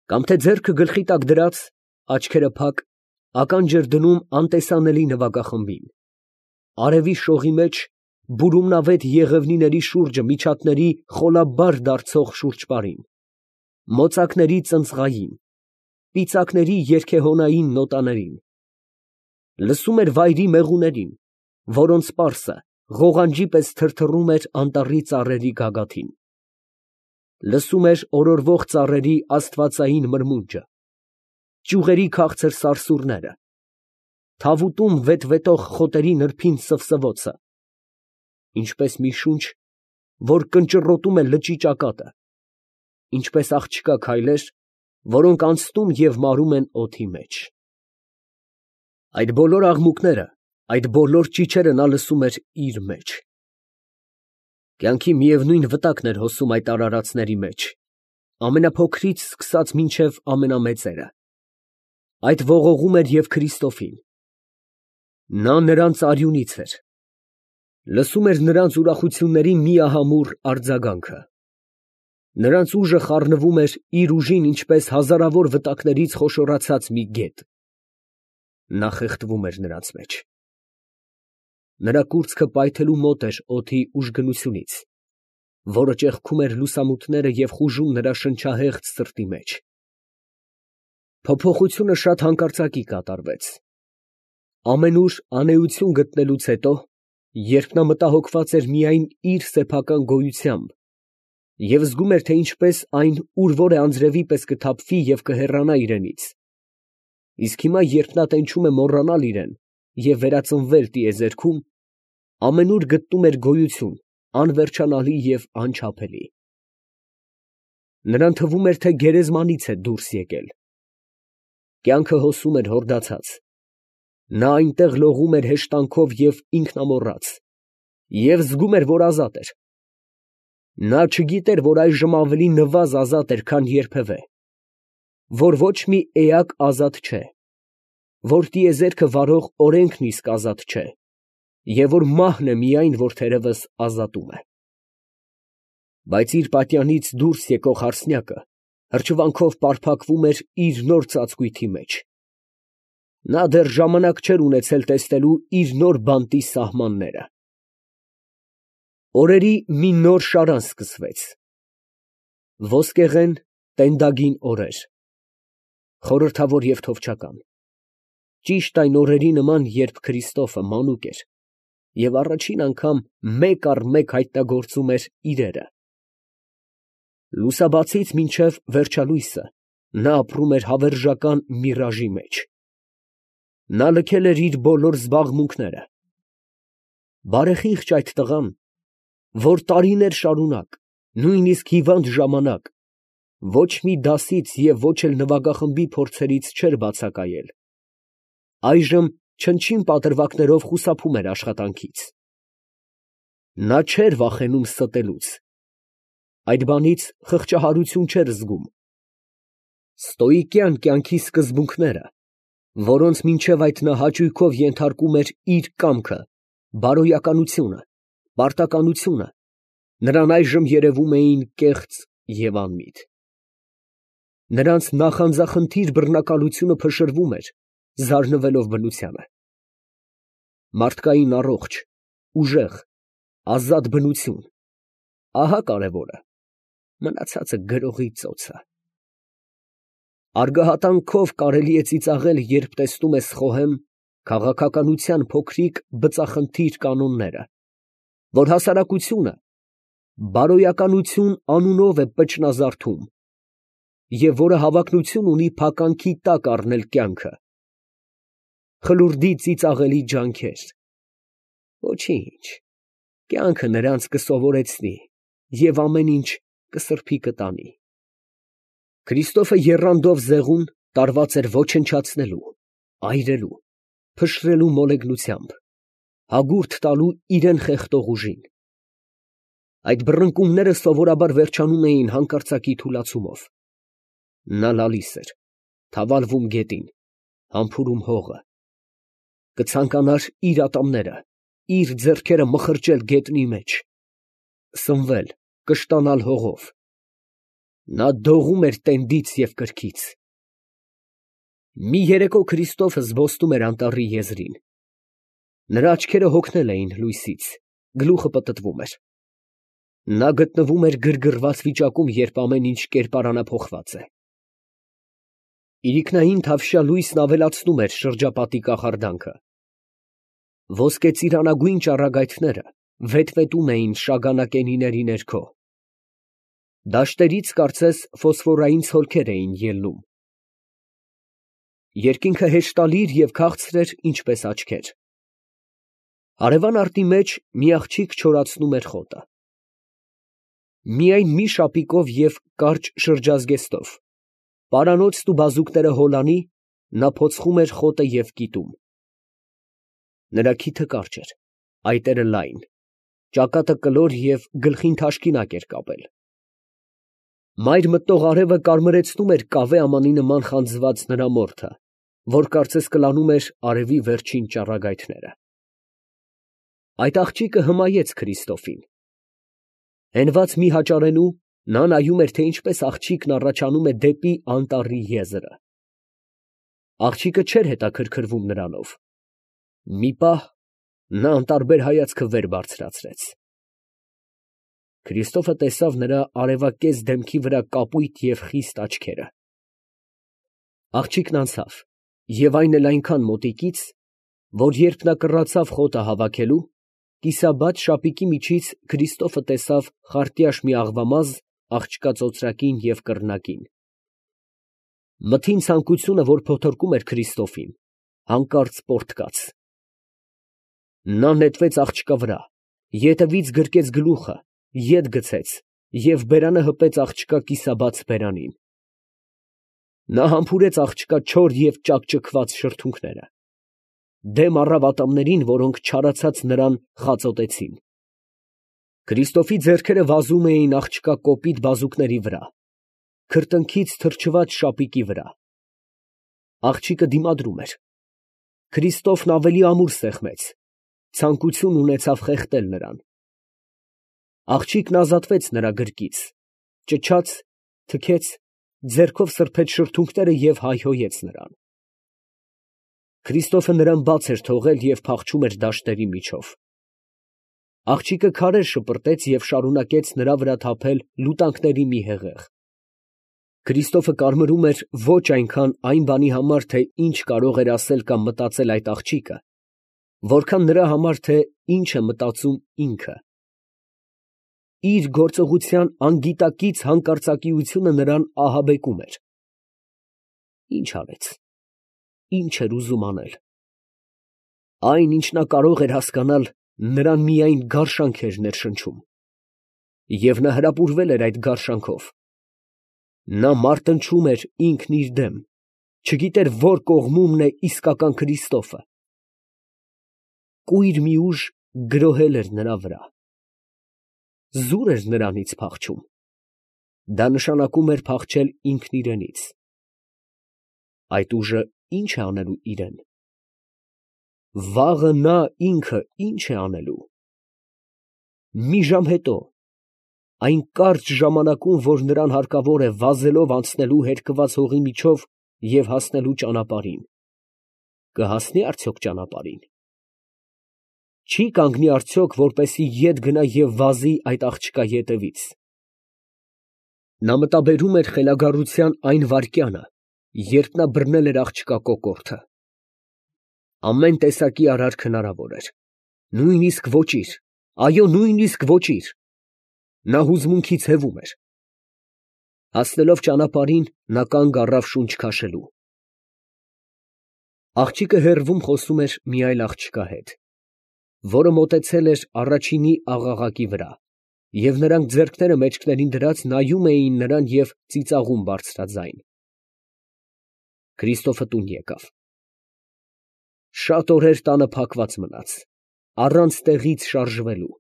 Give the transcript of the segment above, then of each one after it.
Կամ թե ձեռքը գլխի տակ դրած, աչքերը փակ, ականջ էր դնում անտեսանելի նվագախմբին, արևի շողի մեջ բուրումնավետ եղևնիների շուրջը միջատների խոլաբար դարձող շուրջպարին, մոծակների ծնծղային, պիծակների երգեհոնային նոտաներին, լսում էր վայրի մեղուներին, որոնց պարսը ղողանջի պես թրթռում էր անտառի ծառերի գագաթին, լսում էր օրորվող ծառերի աստվածային մրմունջը, ճյուղերի քաղցր սարսուռները, թավուտում վետվետող խոտերի նրբին սվսվոցը, ինչպես մի շունչ, որ կնճռոտում է լճի ճակատը, ինչպես աղջկա քայլեր, որոնք անցնում և մարում են օդի մեջ։ Այդ բոլոր աղմուկները, այդ բոլոր ճիչերը նա լսում էր իր մեջ։ Կյանքի միևնույն վտակն էր հոսում այդ արարածների մեջ, ամենափոքրից սկսած մինչև ամենամեծերը։ Այդ ողողում էր և Քրիստոֆին։ Նա նրանց արյունից էր, լսում էր նրանց ուրախությունների միահամուռ արձագանքը։ Նրանց ուժը խառնվում էր իր ուժին, ինչպես հազարավոր վտակներից խոշորացած մի գետ։ Նա խեղդվում էր նրանց մեջ։ Նրա կուրծքը պայթելու մոտ էր օդի ուժգնությունից, որը ճեղքում էր լուսամուտները և խուժում նրա շնչահեղձ սրտի մեջ։ Փոփոխությունը շատ հանկարծակի կատարվեց։ Ամենուր անեություն գտնելուց հետո, երբ նա մտահոգված էր միայն իր սեփական գոյությամբ և զգում էր, թե ինչպես այն ուր որ է անձրևի պես կթափվի և կհեռանա իրենից, իսկ հիմա, երբ նա տենչում է մոռանալ իրեն և վերածնվել տիեզերքում, ամենուր գտնում էր գոյություն անվերջանալի և անչափելի։ Նրան թվում էր, թե գերեզմանից է դուրս եկել։ Կյանքը հոսում էր հորդացած։ Նա այնտեղ լողում էր հեշտանքով և ինքնամոռաց, և զգում էր, որ ազատ էր։ Նա չգիտեր, որ այժմ ավելի նվազ ազատ էր, քան երբևէ, որ ոչ մի էակ ազատ չէ, որ տիեզերքը վարող օրենքն իսկ ազատ չէ, և որ մահն է միայն, որ թերևս ազատում է։ Բայց իր պատյանից դուրս եկող հարսնյակը հրճվանքով պարփակվում էր իր նոր ծածկույթի մեջ։ Նա դեռ ժամանակ չէր ունեցել տեսնելու իր նոր բանտի սահմանները։ Օրերի մի նոր շարան սկսվեց։ Ոսկեղեն, տենդագին օրեր, խորհրդավոր և թովչական, ճիշտ այն օրերի նման, երբ Քրիստոֆը մանուկ էր և առաջին անգամ մեկ առ մեկ հայտնագործում էր իրերը։ Լուսաբացից մինչև վերջալույսը նա ապրում էր հավերժական միրաժի մեջ։ Նա լքել էր իր բոլոր զբաղմունքները։ Բարեխիղճ այդ տղան, որ տարիներ շարունակ, նույնիսկ հիվանդ ժամանակ, ոչ մի դասից և ոչ էլ նվագախմբի փորձերից չէր բացակայել, այժմ չնչին պատրվակներով խուսափում էր աշխատանքից։ Նա չէր վախենում ստելուց, այդ բանից խղճահարություն չէր զգում։ Ստոիկյան կյանքի սկզբունքները, որոնց մինչև այդ նա հաճույքով ենթարկում էր իր կամքը, բարոյականությունը, պարտականությունը, նրան այժմ երևում էին կեղծ և անմիտ։ Նրանց նախանձախնդիր բռնակալությունը փշրվում էր, զարնվելով բնությանը։ Մարդկային առողջ, ուժեղ, ազատ բնություն, ահա կարևորը, մնացածը գրողի ծոցը։ Արգահատանքով կարելի է ծիծաղել, երբ տեսնում ես խոհեմ քաղաքականության փոքրիկ բծախնդիր կանոնները, որ հասարակությունը բարոյականություն անունով է պճնազարդում և որը հավակնություն ունի փականքի տակ առնել կյանքը։ Խլուրդի ծիծաղելի ջանքեր։ Ոչինչ, կյանքը նրանց կսովորեցնի և ամեն ինչ կսրբի կտանի։ Քրիստոֆը եռանդով զեղուն տարված էր ոչնչացնելու, այրելու, փշրելու մոլեգնությամբ, հագուրդ տալու իրան խեղդող ուժին։ Այդ բռնկումները սովորաբար վերջանում էին հանկարծակի թուլացումով։ Նա լալիս էր, թավալվում գետին, համբուրում հողը, կցանկանար իր ատամները, իր ձեռքերը մխրճել գետնի մեջ, սնվել, կշտանալ հողով։ Նա դողում էր տենդից և կրքից։ Մի երեկո Քրիստոֆը զբոսնում էր անտառի եզրին։ Նրա աչքերը հոգնել էին լույսից, գլուխը պտտվում էր։ Նա գտնվում էր գրգռված վիճակում, երբ ամեն ինչ կերպարանափոխված է։ Իրիկնային թավշյա լույսն ավելացնում էր շրջապատի կախարդանքը։ Ոսկե ծիրանագույն ճառագայթները վետվետում էին շագանակենիների ներքո։ Դաշտերից կարծես ֆոսֆորային ցոլքեր էին ելնում։ Երկինքը հեշտալիր և քաղցր էր, ինչպես աչքեր։ Հարևան արտի մեջ մի աղջիկ չորացնում էր խոտը։ Միայն մի շապիկով և կարճ շրջազգեստով, պարանոցն ու բազուկները հոլանի, նա փոցխում էր խոտը և կիտում։ Նրա քիթը կարճ էր, այտերը լայն, ճակատը կլոր և գլխին թաշկինակ էր կապել։ Մայր մտնող արևը կարմրեցնում էր կավե ամանի նման խանձված նրա մորթը, որ կարծես կլանում էր արևի վերջին ճառագայթները։ Այդ աղջիկը հմայեց Քրիստոֆին։ Հենված մի հաճարենու նա նայում էր, թե ինչպես աղջիկն առաջանում է դեպի անտառի եզրը։ Աղջիկը չէր հետաքրքրվում նրանով։ Մի պահ նա անտարբեր հայացքը վեր բարձրացրեց։ Քրիստոֆը տեսավ նրա արևակեզ դեմքի վրա կապույտ և խիստ աչքերը։ Աղջիկն անցավ, և այն էլ այնքան մոտիկից, որ երբ նա կռացավ խոտը հավաքելու, կիսաբաց շապիկի միջից Քրիստոֆը տեսավ խարտյաշ մի աղվամազ աղջկա ծոծրակին և կռնակին։ Մթին ցանկությունը, որ փոթորկում էր Քրիստոֆին, հանկարծ պոռթկաց։ Նա նետվեց աղջկա վրա, ետևից գրկեց գլուխը, ետ գցեց և բերանը հպեց աղջկա կիսաբաց բերանին։ Նա համբուրեց աղջկա չոր և ճաքճքված շրթունքները, դեմ առավ ատամներին, որոնք չարացած նրան խածոտեցին։ Քրիստոֆի ձեռքերը վազում էին աղջկա կոպիտ բազուկների վրա, քրտինքից թրջված շապիկի վրա։ Աղջիկը դիմադրում էր։ Քրիստոֆն ավելի ամուր սեղմեց, ցանկություն ունեցավ խեղդել նրան։ Աղջիկն ազատվեց նրա գրկից, ճչաց, թքեց, ձեռքով սրբեց շրթունքները և հայհոյեց նրան։ Քրիստոֆը նրան բաց էր թողել և փախչում էր դաշտերի միջով։ Աղջիկը քարեր շպրտեց և շարունակեց նրա վրա թափել լուտանքների մի հեղեղ։ Քրիստոֆը կարմրում էր ոչ այնքան այն բանի համար, թե ինչ կարող էր ասել կամ մտածել այդ աղջիկը, որքան նրա համար, թե ինչ է մտածում ինքը։ Իր գործողության անգիտակից հանկարծակիությունը նրան ահաբեկում էր։ Ինչ արեց, ինչ էր ուզում անել։ Այն, ինչ նա կարող էր հասկանալ, նրան միայն գարշանք էր ներշնչում։ Եվ նա հրապուրվել էր այդ գարշանքով։ Նա մարտնչում էր ինքն իր դեմ, չգիտեր որ կողմումն է իսկական Քրիստոֆը։ Կույր մի ուժ գրոհել էր նրա վրա։ Զուր էր նրանից փախչում։ Դա նշանակում էր փախչել ինքն իրենից։ Այդ ուժը ի՞նչ է անելու իրեն։ Վաղը նա ինքը ի՞նչ է անելու։ Մի ժամ հետո, այն կարճ ժամանակում, որ նրան հարկավոր է վազելով անցնելու հերկված հողի միջով և հասնելու ճանապարհին, կհասնի՞ արդյոք ճանապարհին։ Չի՞ կանգնի արդյոք, որպեսզի ետ գնա և վազի այդ աղջկա ետևից։ Նա մտաբերում էր խելագարության այն վայրկյանը, երբ նա բռնել էր աղջկա կոկորդը։ Ամեն տեսակի արարք հնարավոր էր, նույնիսկ ոճիր, այո, նույնիսկ ոճիր։ Նա հուզմունքից հևում էր։ Հասնելով ճանապարհին, նա կանգ առավ շունչ քաշելու։ Աղջիկը հեռվում խոսում էր մի այլ աղջկա հետ, որը մոտեցել էր առաջինի աղաղակի վրա, և նրանք ձեռքները մեջքներին դրած նայում էին նրան և ծիծաղում բարձրաձայն։ Քրիստոֆը տուն եկավ։ Շատ օրեր տանը փակված մնաց, առանց տեղից շարժվելու։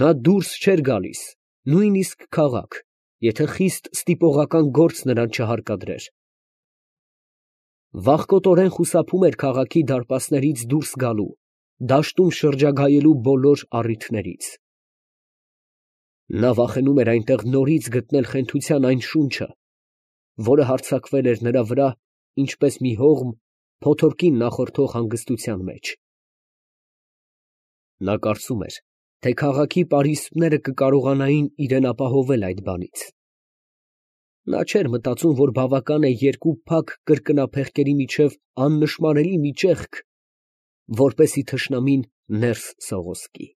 Նա դուրս չէր գալիս, նույնիսկ քաղաք, եթե խիստ ստիպողական գործ նրան չհարկադրեր։ Վախկոտորեն խուսափում էր քաղաքի դարպասներից դուրս գալու, դաշտում շրջագայելու բոլոր առիթներից։ Նա վախենում էր այնտեղ նորից գտնել խենթության այն շունչը, որը հարձակվել էր նրա վրա, ինչպես մի հողմ փոթորկին նախորդող հանգստության մեջ։ Նա կարծում էր, թե քաղաքի պարիսպները կկարողանային իրան ապահովել այդ բանից։ Նա չէր մտածում, որ բավական է երկու փակ կրկնափեղկերի միջև աննշմարելի մի ճեղք, որպեսզի թշնամին ներս սողոսկի։